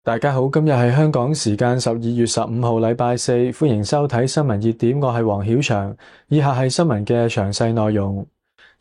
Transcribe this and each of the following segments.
大家好，今日係香港時間12月15號，禮拜四，歡迎收睇新聞熱點，我係黃曉翔。以下係新聞嘅詳細內容。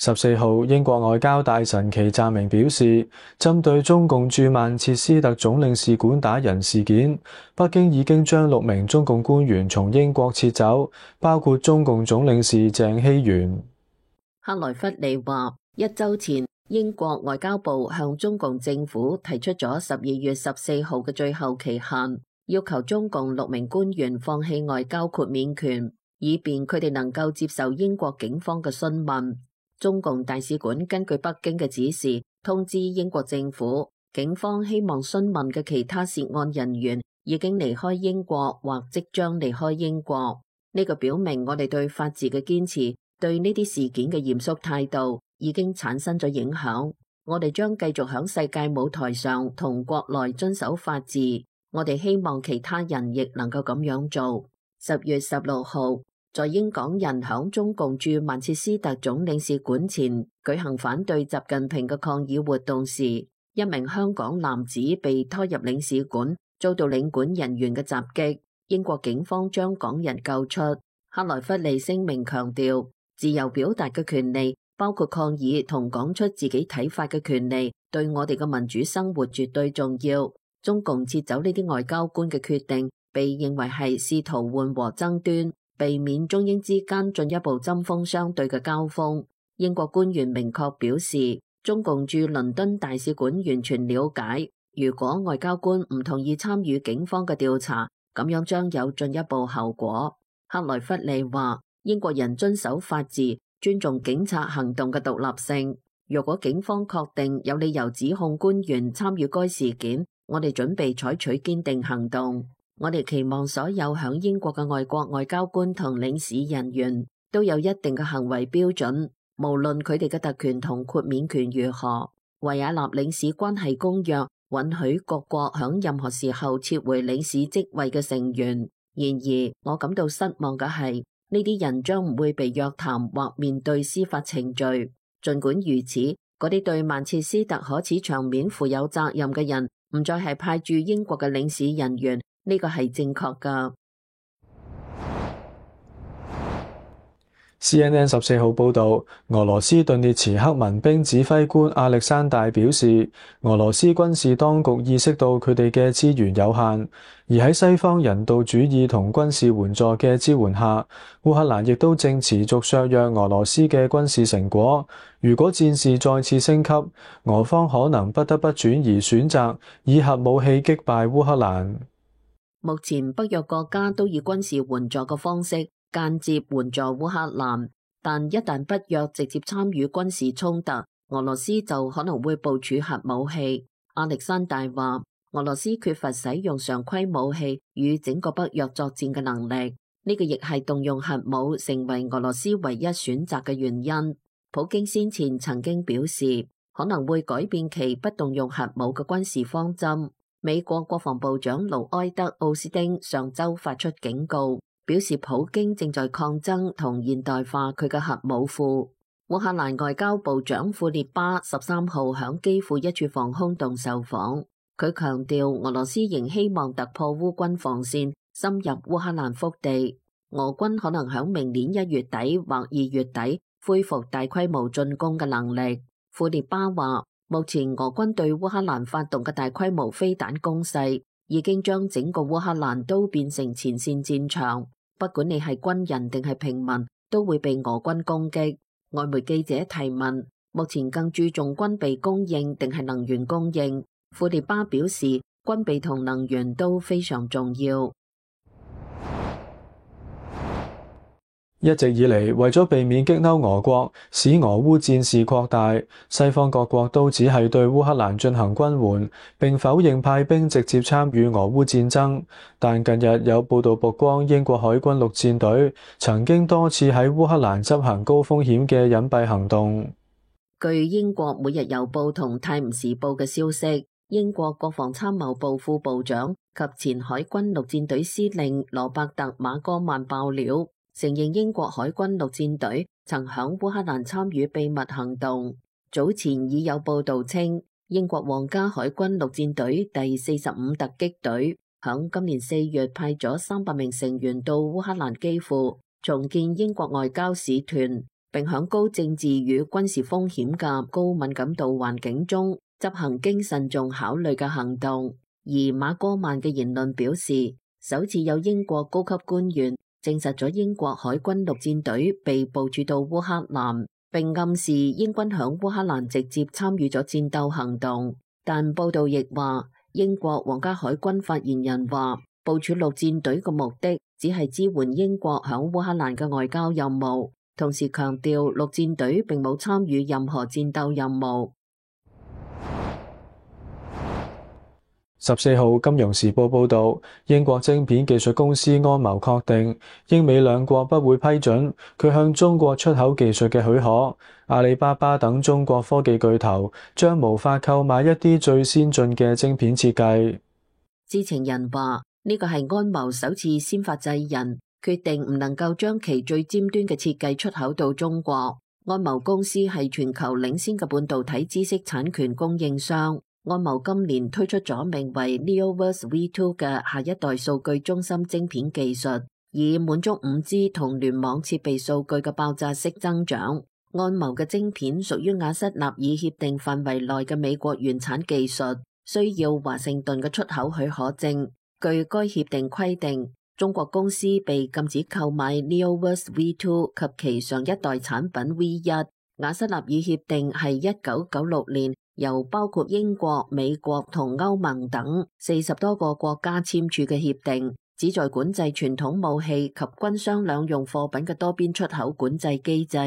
14號，英國外交大臣祁湛明表示，針對中共駐曼徹斯特總領事館打人事件，北京已經將6名中共官員從英國撤走，包括中共總領事鄭希元。克萊弗利話，一週前，英國外交部向中共政府提出咗12月14號嘅最後期限，要求中共6名官員放棄外交豁免權，以便佢哋能夠接受英國警方嘅詢問。中共大使館根據北京嘅指示，通知英國政府，警方希望詢問嘅其他涉案人員已經離開英國或即將離開英國。呢個表明我哋對法治嘅堅持，對呢啲事件嘅嚴肅態度已經產生咗影響。我哋將繼續響世界舞台上同國內遵守法治。我哋希望其他人亦能夠咁樣做。10月16號，在英港人響中共駐曼徹斯特總領事館前舉行反對習近平嘅抗議活動時，一名香港男子被拖入領事館，遭到領館人員嘅襲擊。英國警方將港人救出。克萊弗利聲明強調，自由表達嘅權利，包括抗議同講出自己睇法嘅權利，對我哋嘅民主生活絕對重要。中共撤走呢啲外交官嘅決定，被認為係試圖緩和爭端，避免中英之間進一步針鋒相對嘅交鋒。英國官員明確表示，中共駐倫敦大使館完全了解，如果外交官唔同意參與警方嘅調查，咁樣將有進一步後果。克萊弗利話，英國人遵守法治，尊重警察行動嘅獨立性。若果警方確定有理由指控官員參與該事件，我哋準備採取堅定行動。我哋期望所有響英國嘅外國外交官同領事人員都有一定嘅行為標準，無論佢哋嘅特權同豁免權如何。維也納領事關係公約允許各國響任何時候撤回領事職位嘅成員。然而，我感到失望嘅係，呢啲人將唔會被約談或面對司法程序。儘管如此，嗰啲對曼徹斯特可恥場面負有責任嘅人，唔再係派駐英國嘅領事人員，呢個係正確㗎。CNN 14號報導，俄羅斯頓涅茨克民兵指揮官亞歷山大表示，俄羅斯軍事當局意識到佢哋嘅資源有限，而喺西方人道主義同軍事援助嘅支援下，烏克蘭亦都正持續削弱俄羅斯嘅軍事成果。如果戰事再次升級，俄方可能不得不轉移選擇，以核武器擊敗烏克蘭。目前北約國家都以軍事援助嘅方式間接援助烏克蘭，但一旦北約直接參與軍事衝突，俄羅斯就可能會部署核武器。亞歷山大話，俄羅斯缺乏使用常規武器與整個北約作戰嘅能力，呢個亦係動用核武成為俄羅斯唯一選擇嘅原因。普京先前曾經表示，可能會改變其不動用核武嘅軍事方針。美國國防部長盧埃德奧斯丁上週發出警告，表示普京正在抗爭同現代化佢嘅核武庫。烏克蘭外交部長庫列巴13號響基輔一處防空洞受訪，佢強調俄羅斯仍希望突破烏軍防線，深入烏克蘭腹地。俄軍可能響明年1月底或2月底恢復大規模進攻嘅能力。庫列巴話，目前俄軍對烏克蘭發動嘅大規模飛彈攻勢，已經將整個烏克蘭都變成前線戰場，不管你係軍人定係平民，都會被俄軍攻擊。外媒記者提問，目前更注重軍備供應定係能源供應？庫列巴表示，軍備同能源都非常重要。一直以嚟，為咗避免激嬲俄國，使俄烏戰事擴大，西方各國都只係對烏克蘭進行軍援，並否認派兵直接參與俄烏戰爭。但近日有報道曝光，英國海軍陸戰隊曾經多次喺烏克蘭執行高風險嘅隱蔽行動。據英國每日郵報同泰晤士報嘅消息，英國國防參謀部副部長及前海軍陸戰隊司令羅伯特馬戈曼爆料，承認英國海軍陸戰隊曾響烏克蘭參與秘密行動。早前已有報道稱，英國皇家海軍陸戰隊第45突擊隊響今年4月派咗300名成員到烏克蘭基輔重建英國外交使團，並響高政治與軍事風險嘅高敏感度環境中執行經慎重考慮嘅行動。而馬戈曼嘅言論表示，首次有英國高級官員證實咗英國海軍陸戰隊被部署到烏克蘭，並暗示英軍響烏克蘭直接參與咗戰鬥行動。但報道亦話，英國皇家海軍發言人話，部署陸戰隊嘅目的只係支援英國響烏克蘭嘅外交任務，同時強調陸戰隊並冇參與任何戰鬥任務。14號，金融時報報導，英國晶片技術公司安謀確定，英美兩國不會批准佢向中國出口技術嘅許可。阿里巴巴等中國科技巨頭將無法購買一啲最先進嘅晶片設計。知情人話，呢個係安謀首次先發制人，決定唔能夠將其最尖端嘅設計出口到中國。安謀公司係全球領先嘅半導體知識產權供應商。安謀今年推出咗名為 Neoverse V2 嘅下一代數據中心晶片技術，以滿足 5G 同聯網設備數據嘅爆炸式增長。安謀嘅晶片屬於亞瑟納爾協定範圍內嘅美國原產技術，需要華盛頓嘅出口許可證。據該協定規定，中國公司被禁止購買 Neoverse V2 及其上一代產品 V1。亞瑟納爾協定係1996年由包括英國、美國同歐盟等40多個國家簽署嘅協定，旨在管制傳統武器及軍商兩用貨品嘅多邊出口管制機制。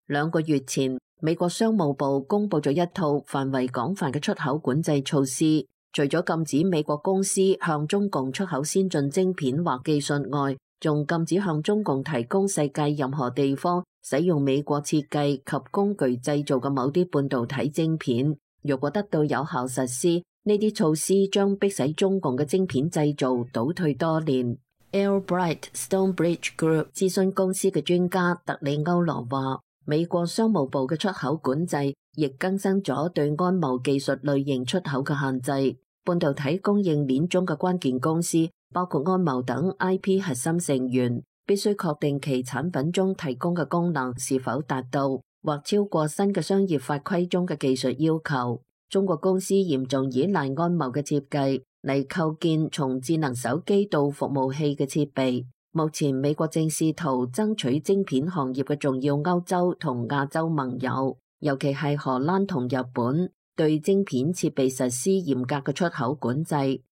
2個月前，美國商務部公布咗一套範圍廣泛嘅出口管制措施，除咗禁止美國公司向中共出口先進晶片或技術外，仲禁止向中共提供世界任何地方使用美國設計及工具製造嘅某啲半導體晶片。若果得到有效實施，呢啲措施將迫使中共嘅晶片製造倒退多年。Albright Stonebridge Group 諮詢公司嘅專家特里歐羅話，美國商務部嘅出口管制亦更新咗對安謀技術類型出口嘅限制。半導體供應鏈中嘅關鍵公司，包括安謀等 IP 核心成員，必須確定其產品中提供嘅功能是否達到或超過新嘅商業法規中嘅技術要求。中國公司嚴重依賴安謀嘅設計嚟構建從智能手機到服務器嘅設備。目前美國正試圖爭取晶片行業嘅重要歐洲同亞洲盟友，尤其係荷蘭同日本，對晶片設備實施嚴格嘅出口管制。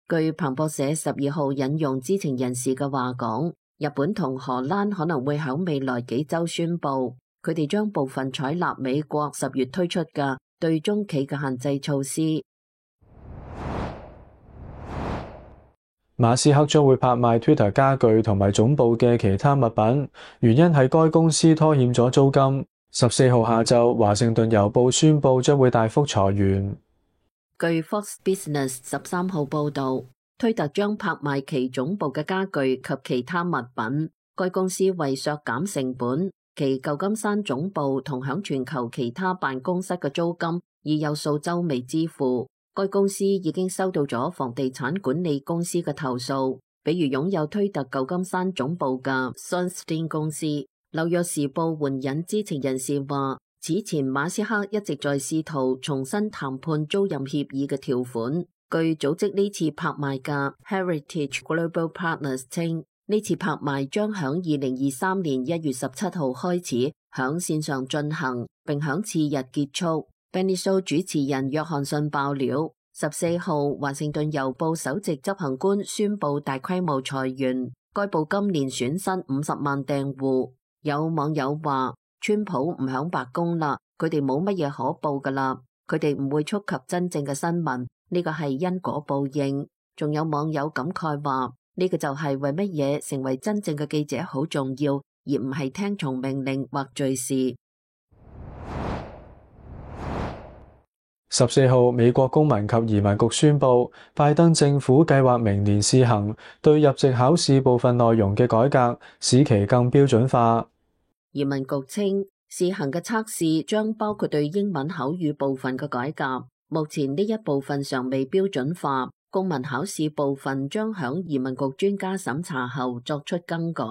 據彭博社12號引用知情人士嘅話講，日本同荷蘭可能會喺未來幾週宣布，佢哋將部分採納美國10月推出嘅對中企嘅限制措施。馬斯克將會拍賣 Twitter 家具同埋總部嘅其他物品，原因係該公司拖欠咗租金。14號下晝，華盛頓郵報宣布將會大幅裁員。據 Fox Business 13號報導，推特將拍賣其總部嘅家具及其他物品。該公司為削減成本，其舊金山總部同響全球其他辦公室嘅租金已有數週未支付。該公司已經收到咗房地產管理公司嘅投訴，比如擁有推特舊金山總部嘅 Sunstein 公司。紐約時報援引知情人士話，此前馬斯克一直在試圖重新談判租賃協議嘅條款。據組織呢次拍賣嘅 Heritage Global Partners 稱，呢次拍賣將響2023年1月17號開始響線上進行，並響次日結束。Benny Show 主持人約翰遜爆料，14號華盛頓郵報首席執行官宣布大規模裁員，該報今年損失50萬訂戶。有網友話，川普唔響白宮啦，佢哋冇乜嘢可報噶啦，佢哋唔會觸及真正嘅新聞，呢個係因果報應。仲有網友感慨話，呢個就係為乜嘢成為真正嘅記者好重要，而唔係聽從命令或敘事。14號，美國公民及移民局宣布，拜登政府計劃明年試行對入籍考試部分內容嘅改革，使其更標準化。移民局稱，試行嘅測試將包括對英文口語部分嘅改革，目前呢一部分尚未標準化，公民考試部分將響移民局專家審查後作出更改。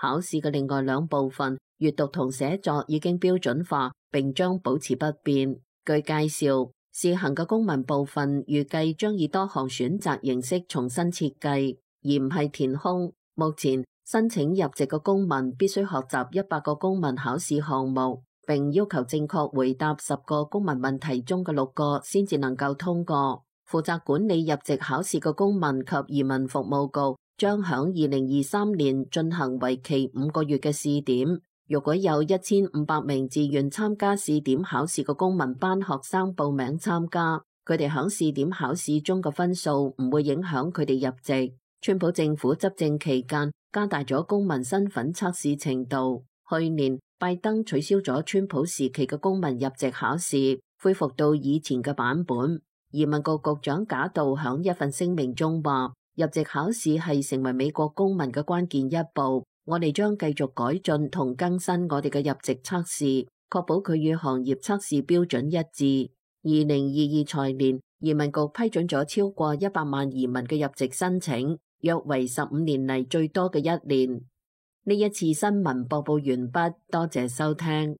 考試嘅另外兩部分，閱讀同寫作已經標準化，並將保持不變。據介紹，試行嘅公民部分預計將以多項選擇形式重新設計，而唔係填空。目前申請入籍嘅公民必須學習100個公民考試項目，並要求正確回答10個公民問題中嘅6個先至能夠通過。負責管理入籍考試嘅公民及移民服務局將響2023年進行為期5個月嘅試點。如果有1500名自願參加試點考試嘅公民班學生報名參加，佢哋響試點考試中嘅分數唔會影響佢哋入籍。川普政府執政期間加大咗公民身份測試程度。去年拜登取消咗川普時期嘅公民入籍考試，恢復到以前嘅版本。移民局局長賈道響一份聲明中話，入籍考試係成為美國公民嘅關鍵一步，我哋將繼續改進同更新我哋嘅入籍測試，確保佢與行業測試標準一致。2022財年，移民局批准咗超過100萬移民嘅入籍申請，約為15年嚟最多嘅一年。呢一次新聞播報完畢，多謝收聽。